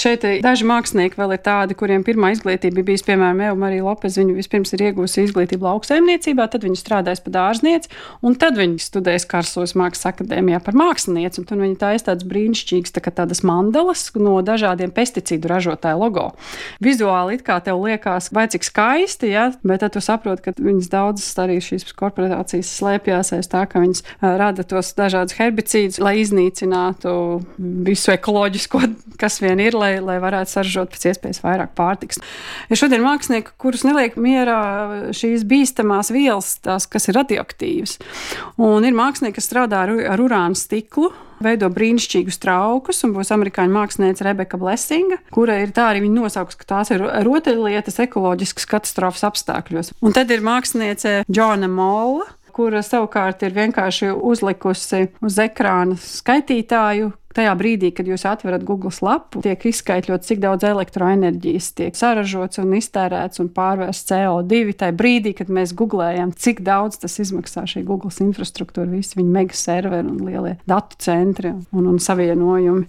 šeit daži mākslinieki vēl ir tādi, kuriem pirmā izglītība bijis, piemēram, Eva Marija Lopez. Viņa vispirms ir iegūsi izglītību lauksaimniecībā, tad viņa strādājas par dārznieci, un tad viņa studējas Karlsruhes Mākslas akadēmijā par mākslinieci. Un tur viņa taisa tādas brīnišķīgas tādas mandalas no dažādiem pesticīdu ražotāju logo. Vizuāli it kā tev liekas, vai cik skaisti, ja? Bet tad tu saproti, ka viņas daudzas arī šīs korporācijas slēpjās aiz tā, ka viņas rada tos dažādus herbicīdus, lai iznīcinātu visu ekoloģisko, kas vien ir, lai varētu saražot pēc iespējas vairāk pārtikas. Ir šodien mākslinieki, kurus neliek mierā šīs bīstamās vielas, tās, kas ir radioaktīvas. Un ir mākslinieki, kas strādā ar urāna stiklu, veido brīnišķīgus traukus, un būs amerikāņu mākslinieca Rebeka Blessinga, kura ir tā arī viņa nosauks, ka tās ir rotaļlietas ekoloģiskas katastrofas apstākļos. Un tad ir māksliniece Džona Molla, kura savukārt ir vienkārši uzlikusi uz ekrāna skaitītāju. Tajā brīdī, kad jūs atverat Google lapu, tiek izskaitļots, cik daudz elektroenerģijas tiek saražots un iztērēts un pārvērsts CO2. Tajā brīdī, kad mēs googlējam, cik daudz tas izmaksā šī Google infrastruktūra, visi viņa mega serveri un lielie datu centri un savienojumi.